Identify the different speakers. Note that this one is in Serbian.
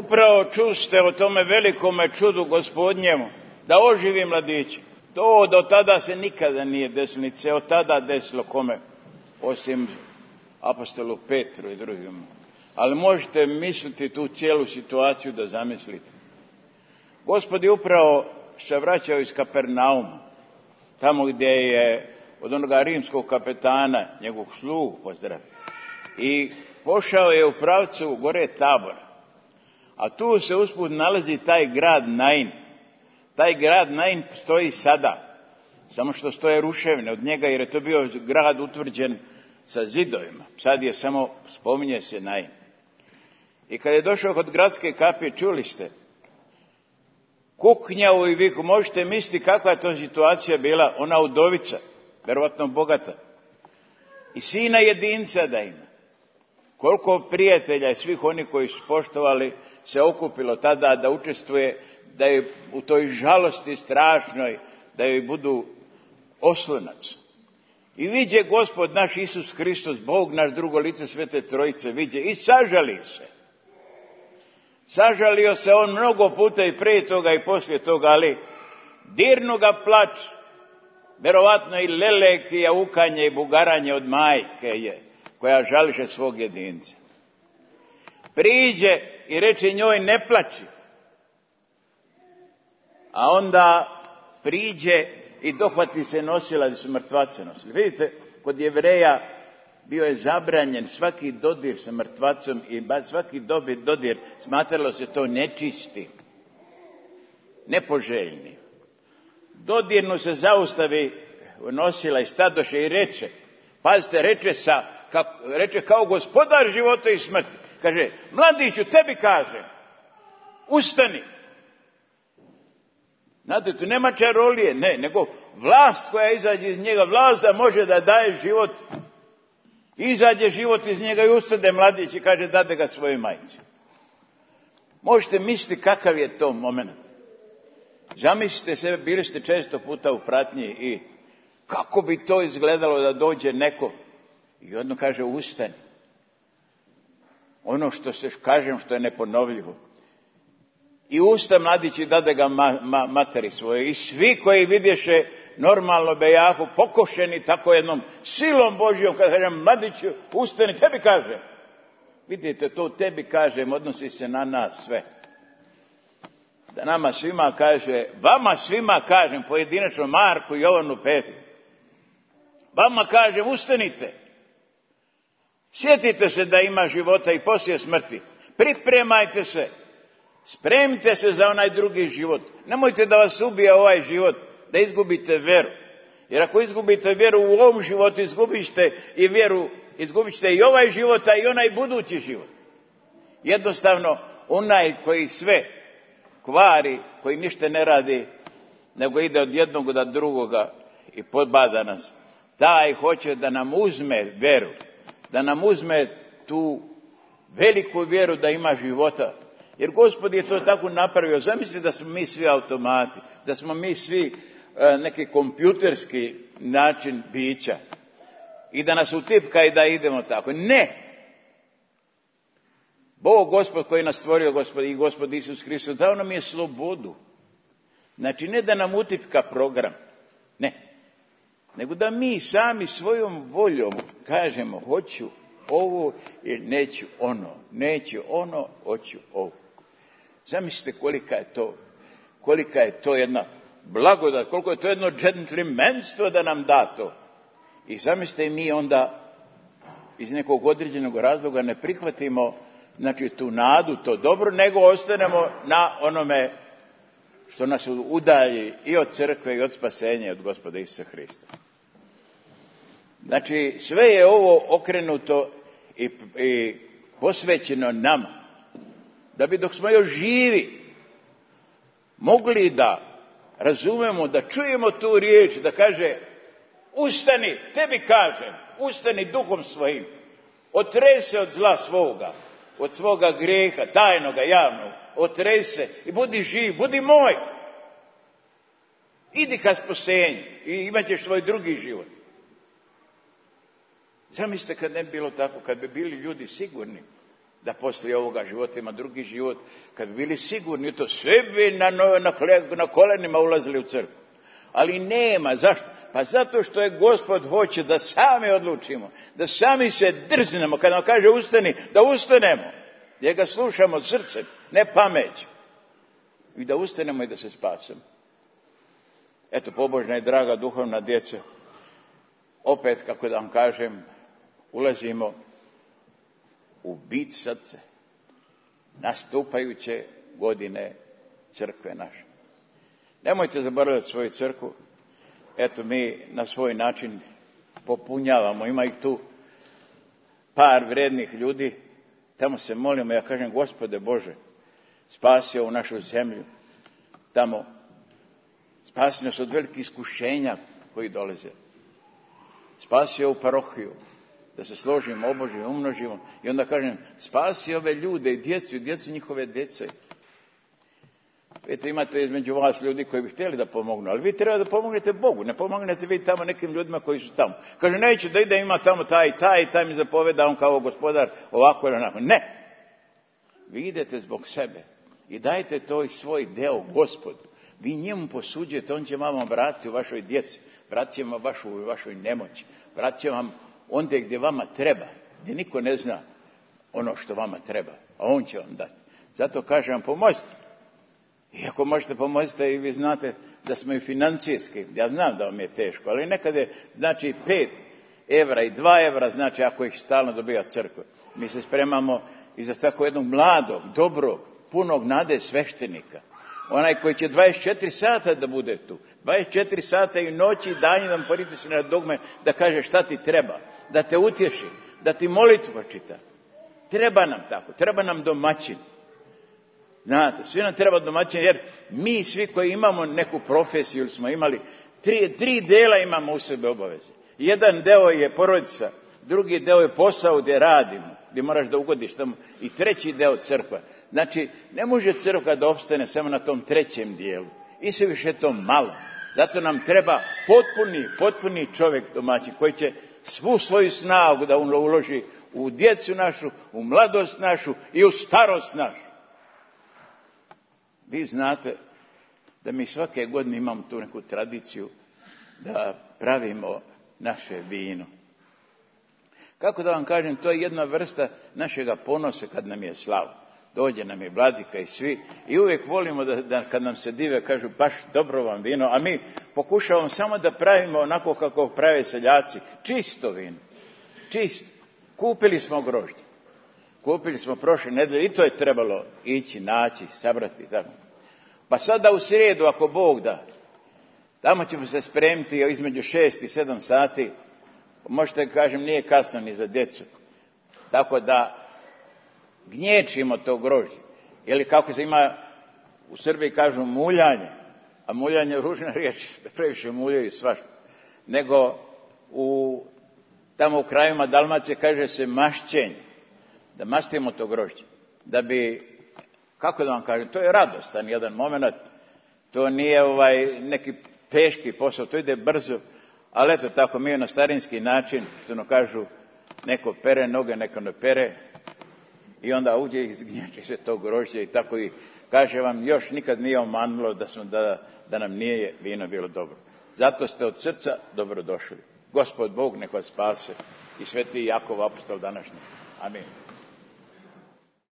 Speaker 1: Upravo čuste o tome velikome čudu Gospodnjemu, da oživi mladića. To do tada se nikada nije desilo, niti se od tada desilo kome, osim apostolu Petru i drugima. Ali možete misliti tu cijelu situaciju da zamislite. Gospod je upravo se vraćao iz Kapernauma, tamo gdje je od onoga rimskog kapetana njegovog slugu pozdravio. I pošao je u pravcu gore Tabora. A tu se usput nalazi taj grad Nain. Taj grad Nain stoji sada, samo što stoje ruševine od njega, jer je to bio grad utvrđen sa zidovima. Sad je samo, spominje se Nain. I kad je došao kod gradske kapije, čuli ste, kuknjavu i viku, možete misliti kakva je to situacija bila, ona udovica, verovatno bogata. I sina jedinca da ima. Koliko prijatelja i svih onih koji su poštovali se okupilo tada da učestvuje, da je u toj žalosti strašnoj, da joj budu oslonac. I viđe Gospod naš Isus Hristos, Bog naš, drugo lice Svete Trojice, viđe i sažali se. Sažalio se on mnogo puta i prije toga i poslije toga, ali dirnu ga plač, verovatno i lelek i jaukanje i bugaranje od majke je, koja žališe svog jedinca. Priđe i reče njoj ne plači. A onda priđe i dohvati se nosila, gdje su mrtvace nosili. Vidite, kod Jevreja bio je zabranjen svaki dodir sa mrtvacom i svaki dodir, smatralo se to nečisti, nepoželjni. Dodirnu se zaustavi nosila i stadoše i reče, pazite, reče kao gospodar života i smrti. Kaže, mladiću, tebi kažem, ustani. Znate, tu nema čarolije, ne, nego vlast koja izađe iz njega, vlast da može da daje život. Izađe život iz njega i ustade mladić i kaže, dade ga svojoj majci. Možete misliti kakav je to moment. Zamislite sebe, bili ste često puta u pratnji i kako bi to izgledalo da dođe neko i odmah kaže, ustani. Ono što se kažem, što je neponovljivo. I usta mladić i dade ga materi svoje. I svi koji vidješe normalno bejahu, pokošeni tako jednom silom Božjom, kada kažem, mladiću, ustani, tebi kažem. Vidite, to tebi kažem, odnosi se na nas sve. Da nama svima kaže, vama svima kažem, pojedinačno Marku, Jovanu, Petru. Vama kažem, ustanite. Sjetite se da ima života i poslije smrti. Pripremajte se. Spremite se za onaj drugi život. Nemojte da vas ubije ovaj život, da izgubite vjeru. Jer ako izgubite vjeru u ovom životu, izgubit ćete i vjeru, izgubit ćete i ovaj život, a i onaj budući život. Jednostavno, onaj koji sve kvari, koji ništa ne radi, nego ide od jednog do drugoga i podbada nas, taj hoće da nam uzme vjeru, da nam uzme tu veliku vjeru da ima života. Jer Gospod je to tako napravio. Zamislite da smo mi svi automati, da smo mi svi neki kompjuterski način bića i da nas utipka i da idemo tako. Ne! Bog, Gospod koji nas stvorio, Gospod i Gospod Isus Hristos, dao nam je slobodu. Znači ne da nam utipka program, ne. Nego da mi sami svojom voljom kažemo hoću ovo i neću ono, hoću ovo. Zamislite kolika je to jedna blagodat, koliko je to jedno džentlmenstvo da nam da to. I zamislite mi onda iz nekog određenog razloga ne prihvatimo, znači tu nadu, to dobro, nego ostanemo na onome što nas udalji i od crkve i od spasenja od Gospoda Isusa Hrista. Znači sve je ovo okrenuto i posvećeno nama. Da bi dok smo još živi mogli da razumemo, da čujemo tu riječ, da kaže ustani, tebi kažem, ustani duhom svojim, otrese od zla svoga, od svoga grijeha, tajnoga, javnog, otrese i budi živ, budi moj. Idi ka spasenju i imat ćeš svoj drugi život. Zamislite kad ne bi bilo tako, kad bi bili ljudi sigurni da poslije ovoga života ima drugi život, kad bi bili sigurni u to, sve bi na kolenima ulazili u crkvu. Ali nema. Zašto? Pa zato što je Gospod hoće da sami odlučimo, da sami se drznemo. Kad nam kaže ustani, da ustanemo, jer ga slušamo srcem, ne pameću. I da ustanemo i da se spasemo. Eto, pobožna i draga duhovna djeca, opet, kako da vam kažem, ulazimo u bit srce nastupajuće godine crkve naše. Nemojte zaboraviti svoju crkvu. Eto, mi na svoj način popunjavamo. Ima i tu par vrednih ljudi. Tamo se molimo, ja kažem, Gospode Bože, spasi ovu našu zemlju. Tamo spasi nas od velikih iskušenja koji dolaze. Spasi ovu parohiju, da se složimo, obožimo, umnožimo. I onda kažem, spasi ove ljude i djecu njihove djece. Vidite, imate između vas ljudi koji bi htjeli da pomognu, ali vi treba da pomognete Bogu, ne pomognete vi tamo nekim ljudima koji su tamo. Kaže, neću da ide, ima tamo taj mi zapoveda, on kao gospodar, ovako ili onako. Ne! Vi idete zbog sebe i dajte to i svoj deo Gospodu. Vi njemu posuđujete, on će vam vratiti u vašoj djeci, vratit će vam u vašoj nemoći, vratit će vam ondje gdje vama treba, gdje niko ne zna ono što vama treba, a on će vam dati. Zato kažem vam, pomozite. I ako možete pomozite i vi znate da smo i financijski, ja znam da vam je teško, ali nekad je, znači 5 evra i 2 evra, znači ako ih stalno dobija crkva. Mi se spremamo i za tako jednog mladog, dobrog, punog nade sveštenika. Onaj koji će 24 sata da bude tu. 24 sata i noći i danji da mu pritisne na dugme, da kaže šta ti treba, da te utješi, da ti molitvu čita. Treba nam tako, treba nam domaćin. Znate, svi nam treba domaćin, jer mi svi koji imamo neku profesiju ili smo imali, tri dela imamo u sebe obaveze. Jedan deo je porodica, drugi deo je posao gdje radimo, gdje moraš da ugodiš tamo, i treći deo crkva. Znači, ne može crkva da opstane samo na tom trećem dijelu. I sve više to malo. Zato nam treba potpuni čovjek domaćin, koji će svu svoju snagu da uloži u djecu našu, u mladost našu i u starost našu. Vi znate da mi svake godine imamo tu neku tradiciju da pravimo naše vino. Kako da vam kažem, to je jedna vrsta našega ponosa kad nam je slava. Dođe nam je vladika i svi i uvijek volimo da kad nam se dive kažu baš dobro vam vino, a mi pokušavamo samo da pravimo onako kako prave seljaci, čisto vino, čisto. Kupili smo grožđe, kupili smo prošle nedelje i to je trebalo ići, naći, sabrati tako. Pa sada u srijedu, ako Bog da, tamo ćemo se spremiti između 6 i 7 sati, možete kažem nije kasno ni za djecu, tako da gnječimo to grožđe. Ili kako se ima u Srbiji kažu muljanje, a muljanje je ružna riječ, previše muljaju svašta, nego tamo u krajima Dalmacije kaže se mašćenje, da mastimo to grožđe, da bi, kako da vam kažem, to je radostan jedan moment, to nije neki teški posao, to ide brzo, ali eto tako mi je na starinski način, što no kažu, neko pere noge, neko ne pere, i onda uđe i zgnječi se to grožđe i tako i kaže vam, još nikad nije omanulo da nam nije vino bilo dobro. Zato ste od srca dobro došli. Gospod Bog nek vas spase i sveti Jakov apostol današnji. Amin.